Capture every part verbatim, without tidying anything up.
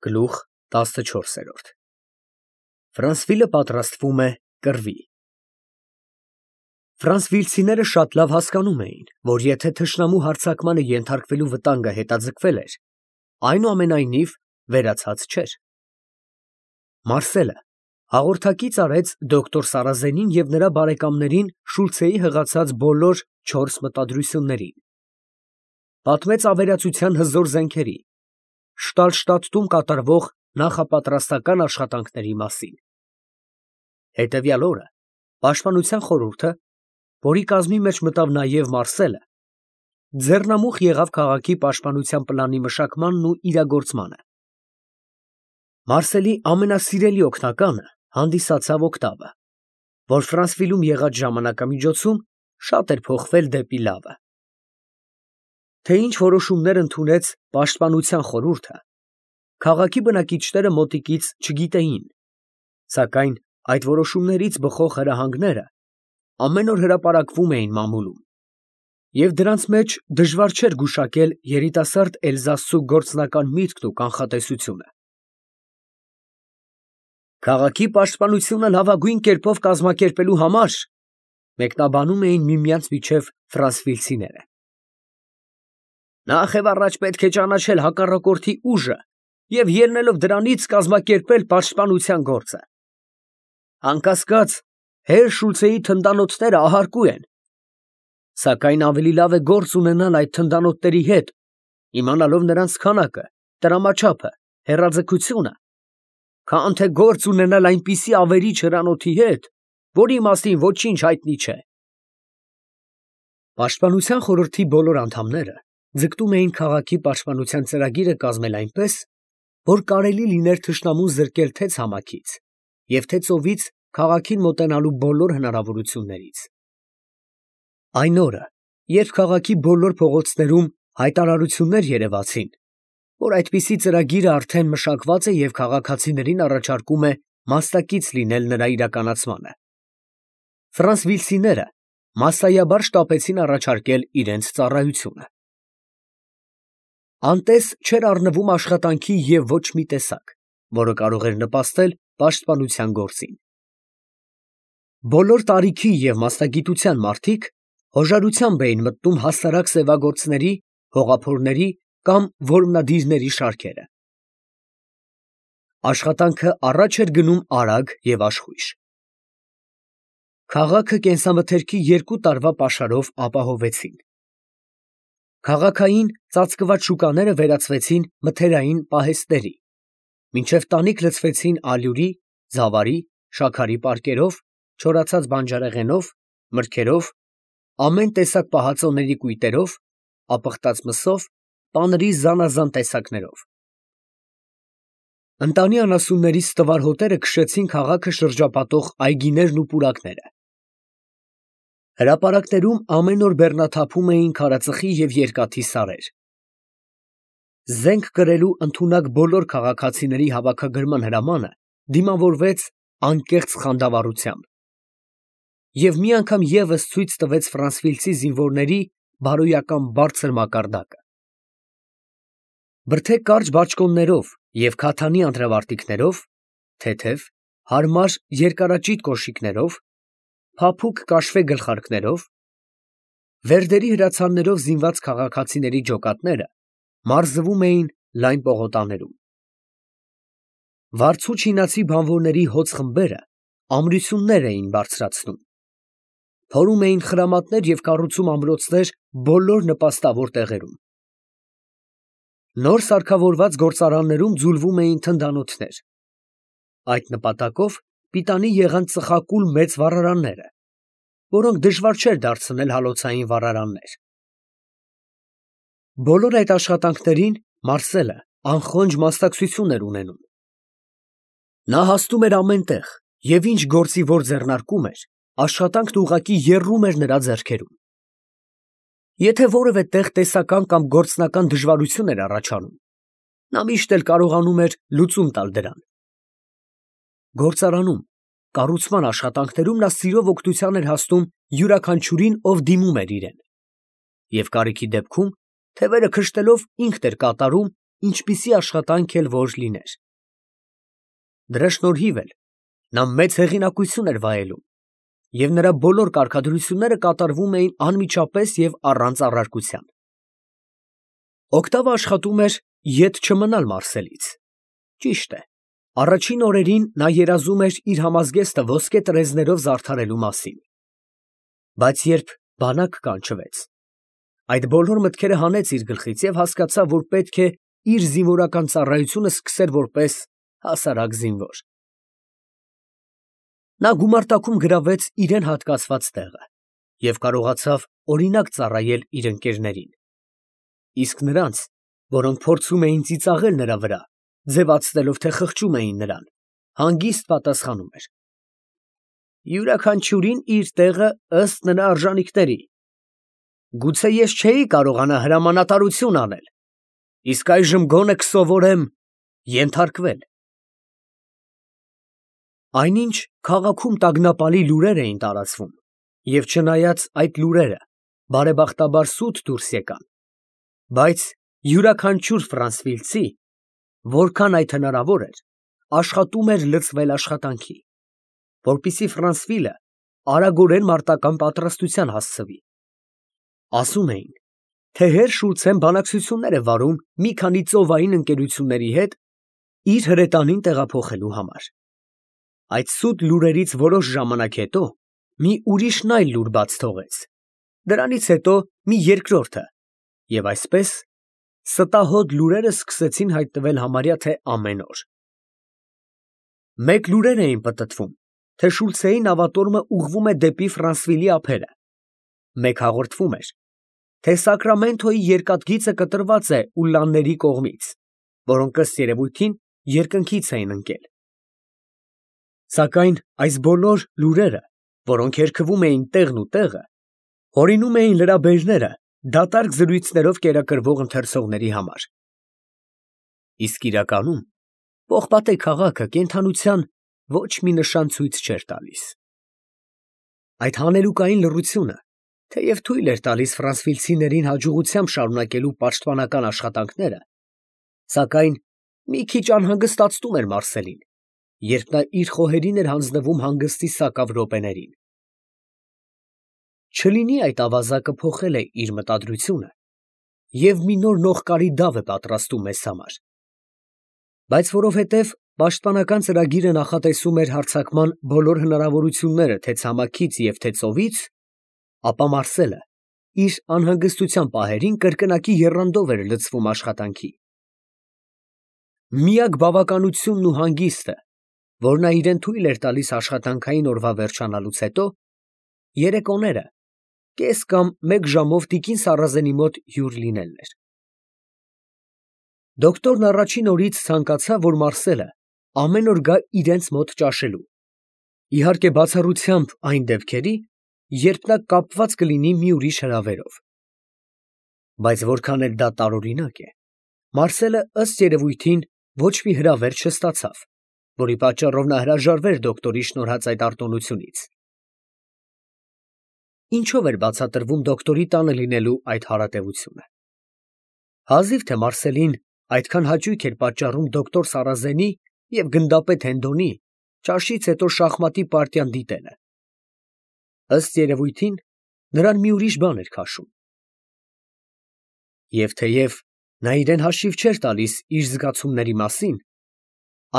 Գլուխ տասնչորս։ Ֆրանսվիլը պատրաստվում է կռվի։ Ֆրանսվիլցիները շատ լավ հասկանում էին, որ եթե թշնամու հարձակմանը ենթարկվելու վտանգը հետաձգվել էր, այնուամենայնիվ վերացած չէր։ Մարսելը հաղորդակից արեց դոկտոր Սարազենին և նրա բարեկամներին Շուլցեի հղացած բոլոր չորս մտադրություններին, պատմեց ավերածության հզոր զենքերի, Շտալշտադտում կատարվող նախապատրաստական աշխատանքների մասին։ Հետևյալ օրը Պաշտպանության խորհուրդը, որի կազմի մեջ մտավ նաև Մարսելը, ձեռնամուխ եղավ քաղաքի պաշտպանության պլանի մշակմանն ու իրագործմանը։ Մարսելի ամենասիրելի օգնականը հանդիսացավ օկտավը, որ Ֆրանսվիլում եղած ժամանակամիջոցում շատ էր փոխվել դեպի լավը։ Թե ինչ որոշումներ ընդունեց պաշտպանության խորհուրդը, քաղաքի բնակիչները մոտիկից չգիտեին, սակայն այդ որոշումներից բխող հրահանգները ամեն օր հրապարակվում էին մամուլում, և դրանց մեջ դժվար չէր գուշակել երիտասարդ Էլզասցու գործնական միտքն ու կանխատեսությունը։ Քաղաքի պաշտպանությունը լավագույն կերպով կազմակերպելու համար, մեկնաբանում էին միմյանց միջև ֆրանսվիլցիները, նախ և առաջ պետք է ճանաչել հակառակորդի ուժը և ելնելով դրանից կազմակերպել պաշտպանության գործը։ Անկասկած, հեր Շուլցեի թնդանոթները ահարկու են, սակայն ավելի լավ է գործ ունենալ այդ թնդանոթների հետ, իմանալով նրանց քանակը, տրամաչափը, հեռաձգությունը, քան թե գործ ունենալ այնպիսի ավերիչ հրանոթի հետ, որի մասին ոչինչ հայտնի չէ։ Պաշտպանության խորհրդի բոլոր անդամները ձգտում էին քաղաքի պաշտպանության ծրագիրը կազմել այնպես, որ կարելի լիներ թշնամուն զրկել թե ցամաքից և թե ծովից քաղաքին մոտենալու բոլոր հնարավորություններից։ Այն օրը, երբ քաղաքի բոլոր փողոցներում հայտարարություններ երևացին, որ այդպիսի ծրագիրը արդեն մշակված է և քաղաքացիներին առաջարկում է մասնակից լինել նրա իրականացմանը, ֆրանսվիլցիները մասսայաբար շտապեցին առաջարկել իրենց ծառայությունը։ Անտես չէր առնվում աշխատանքի և ոչ մի տեսակ, որը կարող էր նպաստել պաշտպանության գործին։ Բոլոր տարիքի և մասնագիտության մարդիկ հոժարությամբ էին մտնում հասարակ սևագործների, հողափորների կամ որմնադիրների շարքերը։ Աշխատանքը առաջ էր գնում արագ և աշխույժ։ Քաղաքը կենսամթերքի երկու տարվա պաշարով ապահովեցին։ Քաղաքային ծածկված շուկաները վերածվեցին մթերային պահեստների, մինչև տանիք լցվեցին ալյուրի, ձավարի, շաքարի պարկերով, չորացած բանջարեղենով, մրգերով, ամեն տեսակ պահածոների կույտերով, ապխտած մսով, պանրի զանազան տեսակներով։ Ընտանի անասուններից ստվար հոտերը քշեցին քաղաքը շրջապատող այգիներն ու պուրակները։ Հրապարակներում ամեն օր բեռնաթափում էին քարածխի և երկաթի սարեր։ Զենք կրելու ընդունակ բոլոր քաղաքացիների հավաքագրման հրամանը դիմավորվեց անկեղծ խանդավառությամբ և մի անգամ ևս ցույց տվեց ֆրանսվիլցի զինվորների բարոյական բարձր մակարդակը։ Բրդե կարճ բաճկոններով և քաթանի անտրավարտիքներով, թեթև, հարմար երկարաճիտ կոշիկներով, փափուկ կաշվե գլխարկներով, վերդերի հրացաններով զինված քաղաքացիների ջոկատները մարզվում էին լայն պողոտաներում։ Վարձու չինացի բանվորների հոծ խմբերը ամրություններ էին բարձրացնում, փորում էին խրամատներ և կառուցում ամրոցներ բոլոր նպաստավոր տեղերում։ Նոր սարքավորված գործարաններում ձուլվում էին թնդանոթներ։ Այդ նպատակով պիտանի եղան ծխակուլ մեծ վառարանները, որոնք դժվար չէր դարձնել հալոցային վառարաններ։ Բոլոր այդ աշխատանքներին Մարսելը անխոնջ մասնակցություն էր ունենում։ Նա հասնում էր ամեն տեղ և ինչ գործի որ ձեռնարկում էր, աշխատանքն ուղղակի եռում էր նրա ձեռքերում։ Եթե որևէ տեղ տեսական կամ գործնական դժվարություն էր առաջանում, նա միշտ էլ կարողանում էր լուծում տալ դրան։ Գործարանում, կառուցման աշխատանքներում նա սիրով օգնության էր հասնում յուրաքանչյուրին, ով դիմում էր իրեն, և կարիքի դեպքում, թևերը քշտելով ինքն էր կատարում, ինչպիսի աշխատանք էլ որ լիներ։ Դրա շնորհիվ էլ նա մեծ հեղինակություն էր վայելում, և նրա բոլոր կարգադրությունները կատարվում էին անմիջապես և առանց առարկության։ Օգտավը աշխատում էր ետ չմնալ Մարսելից։ Ճիշտ է, առաջին օրերին նա երազում էր իր համազգեստը ոսկե տրեզներով զարդարելու մասին։ Բայց երբ բանակ կանչվեց, այդ բոլոր մտքերը հանեց իր գլխից և հասկացավ, որ պետք է իր զինվորական ծառայությունը սկսեր որպես հասարակ զինվոր։ Նա գումարտակում գրավեց իրան հատկացված տեղը և կարողացավ օրինակ ծառայել իր ընկերներին, իսկ նրանց, որոնք փորձում էին ծիծաղել նրա վրա, ձևացնելով, թե խղճում էին նրան, հանգիստ պատասխանում էր. «Յուրաքանչյուրին իր տեղը ըստ նրա արժանիքների. գուցե ես չէի կարողանա հրամանատարություն անել, իսկ այժմ գոնե կսովորեմ ենթարկվել»։ Այնինչ քաղաքում տագնապալի լուրեր էին տարածվում, և չնայած այդ լուրերը բարեբախտաբար սուտ դուրս եկան, բայց յուրաքանչյուր ֆրանսվիլցի, որքան այդ հնարավոր էր, աշխատում էր լծվել աշխատանքի, որպեսզի Ֆրանսվիլը արագորեն մարտական պատրաստության հասցվի։ Ասում էին, թե հեր Շուլցեն բանակցություններ է վարում մի քանի ծովային ընկերությունների հետ իր հրետանին տեղափոխելու համար։ Այդ սուտ լուրերից որոշ ժամանակ հետո մի ուրիշն այլ լուր բաց թողեց, դրանից հետո մի երկրորդը, և այսպես ստահոդ լուրերը սկսեցին հայտնվել համարյա թե ամեն օր։ Մեկ լուրեր էին պտտվում, թե Շուլցեի նավատորմը ուղղվում է դեպի Ֆրանսվիլի ափերը, մեկ հաղորդվում էր, թե Սակրամենթոյի երկաթգիծը կտրված է ուլլանների կողմից, որոնք ըստ երևույթին երկնքից էին ընկել։ Սակայն այս բոլոր լուրերը, որոնք երգվում էին տեղն ու տեղը, հորինում էին լրաբերները դատարկ զրույցներով կերակրվող ընթերցողների համար։ Իսկ իրականում Պողպատե քաղաքը կենդանության ոչ մի նշան ցույց չէր տալիս։ Այդ հանելուկային լռությունը թեև թույլ էր տալիս ֆրանսվիլցիներին հաջողությամբ շարունակելու պաշտպանական աշխատանքները, սակայն մի քիչ անհանգստացնում էր Մարսելին, երբ նա իր խոհերին էր հանձնվում հանգստի սակավ րոպեներին։ Չլինի այդ ավազակը փոխել է իր մտադրությունը և մի նոր նողկարի դավ է պատրաստում մեզ համար։ Բայց որովհետև պաշտպանական ծրագիրը նախատեսում էր հարձակման բոլոր հնարավորությունները թե ցամաքից և թե ծովից, ապա Մարսելը իր անհանգստության պահերին կրկնակի եռանդով էր լցվում աշխատանքի։ Միակ բավականությունն ու հանգիստը, որ նա իրան թույլ էր տալիս աշխատանքային օրվա վերջանալուց հետո, երեկոները կես կամ մեկ ժամով տիկին Սարազենի մոտ հյուր լինելն էր։ Դոկտորն առաջին օրից ցանկացավ, որ Մարսելը ամեն օր գա իրենց մոտ ճաշելու, իհարկե բացառությամբ այն դեպքերի, երբ նա կապված կլինի մի ուրիշ հրավերով։ Բայց որքան էլ դա տարօրինակ է, Մարսելը ըստ երևույթին ոչ մի հրավեր չստացավ, որի պատճառով նա հրաժարվեր դոկտորի շնորհած այդ արտոնությունից։ Ինչո՞վ էր բացատրվում դոկտորի տանը լինելու այդ հարատևությունը։ Հազիվ թե Մարսելին այդքան հաճույք էր պատճառում դոկտոր Սարազենի և գնդապետ Հենդոնի ճաշից հետո շախմատի պարտիան դիտելը։ Ըստ երևույթին նրան մի ուրիշ բան էր քաշում։ Եվ թեև նա իրան հաշիվ չէր տալիս իր զգացումների մասին,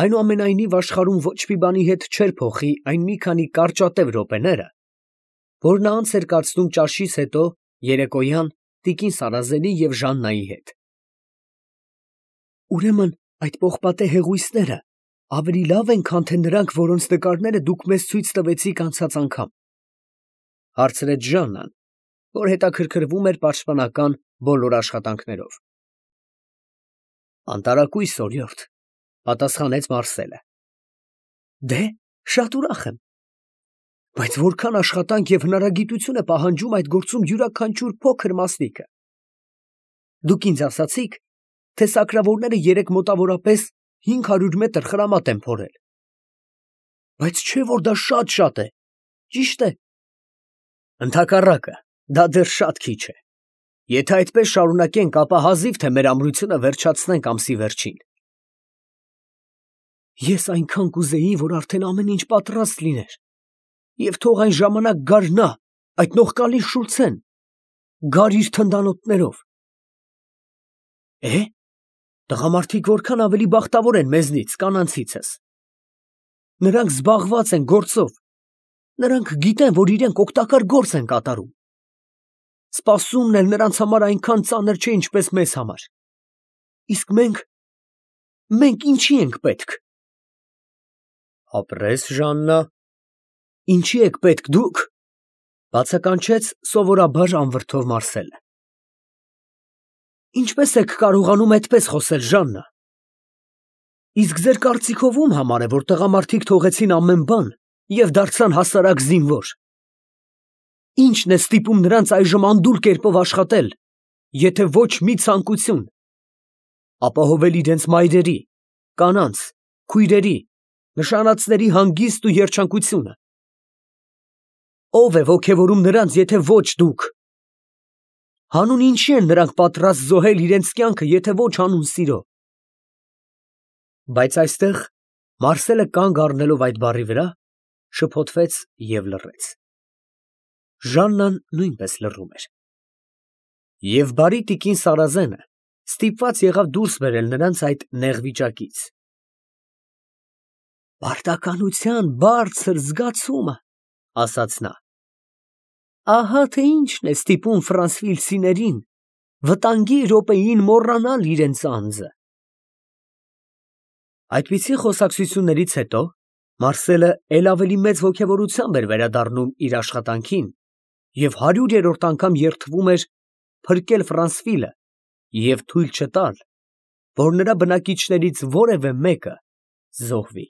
այնուամենայնիվ աշխարհում ոչ մի բանի հետ չէր փոխի այն մի քանի կարճատև րոպեները, որ նա անց էր կացնում ճաշից հետո երեկոյան տիկին Սարազենի և Ժաննայի հետ։ Ուրեմն այդ պողպատե հեղույսները ավելի լավ են, քան թե նրանք, որոնց նկարները դուք մեզ ցույց տվեցիք անցած անգամ, ֊ հարցրեց Ժաննան, որ հետաքրքրվում էր պաշտպանական բոլոր աշխատանքներով։ ֊ Անտարակույս, օրիորդ, ֊ պատասխանեց Մարսելը։ ֊ Դե, շատ ուրախ եմ։ Բայց որքան աշխատանք և հնարագիտություն է պահանջում այդ գործում յուրաքանչյուր փոքր մասնիկը։ Դուք ինձ ասացիք, թե սակրավորները երեկ մոտավորապես հինգ հարյուր մետր խրամատ են փորել։ Բայց չէ՞ որ դա շատ֊շատ է, ճի՞շտ է։ Ընդհակառակը, դա դեռ շատ քիչ է։ Եթե այդպես շարունակենք, ապա հազիվ թե մեր ամրությունը վերջացնենք ամսի վերջին։ Ես այնքան կուզեի, որ արդեն ամեն ինչ պատրաստ լիներ, և թող այն ժամանակ գար նա, այդ նողկալի Շուլցեն, գար իր թնդանոթներով։ Է՞, տղամարդիկ որքան ավելի բախտավոր են մեզնից, կանանցիցս։ Նրանք զբաղված են գործով, նրանք գիտեն, որ իրենք օգտակար գործ են կատարում։ Սպասումն էլ նրանց համար այնքան ծանր չէ, ինչպես մեզ համար։ Իսկ մենք, մենք ինչի ենք պետք։ Ապրես, Ժաննա։ Ինչի եք պետք դուք, բացականչեց սովորաբար անվրդով Մարսելը։ Ինչպես եք կարողանում այդպես խոսել, Ժաննա։ Իսկ ձեր կարծիքով ում համար է, որ տղամարդիկ թողեցին ամեն բան և դարձան հասարակ զինվոր։ Ի՞նչն է ստիպում նրանց այժմ անդուլ կերպով աշխատել, եթե ոչ մի ցանկություն, ապահովել իրենց մայրերի, կանանց, քույրերի, նշանածների հանգիստն ու երջանկությունը։ Ո՞վ է ոգևորում նրանց, եթե ոչ դուք։ Հանուն ինչի են նրանք պատրաստ զոհել իրենց կյանքը, եթե ոչ հանուն սիրո։ Բայց այստեղ Մարսելը կանգ առնելով այդ բառի վրա, շփոթվեց և լռեց։ Ժաննան նույնպես լռում էր։ Եվ բարի տիկին Սարազենը ստիպված եղավ դուրս բերել նրանց այդ նեղ վիճակից։ Պարտականության բարձր զգացումը, ասաց նա, ահա թե ինչն է ստիպում ֆրանսվիլցիներին վտանգի րոպեին մոռանալ իրենց անձը։ Այդպիսի խոսակցություններից հետո Մարսելը էլ ավելի մեծ ոգևորությամբ էր վերադառնում իր աշխատանքին և հարյուրերորդ անգամ երդվում էր փրկել Ֆրանսվիլը և թույլ չտալ, որ նրա բնակիչներից որևէ մեկը զոհվի։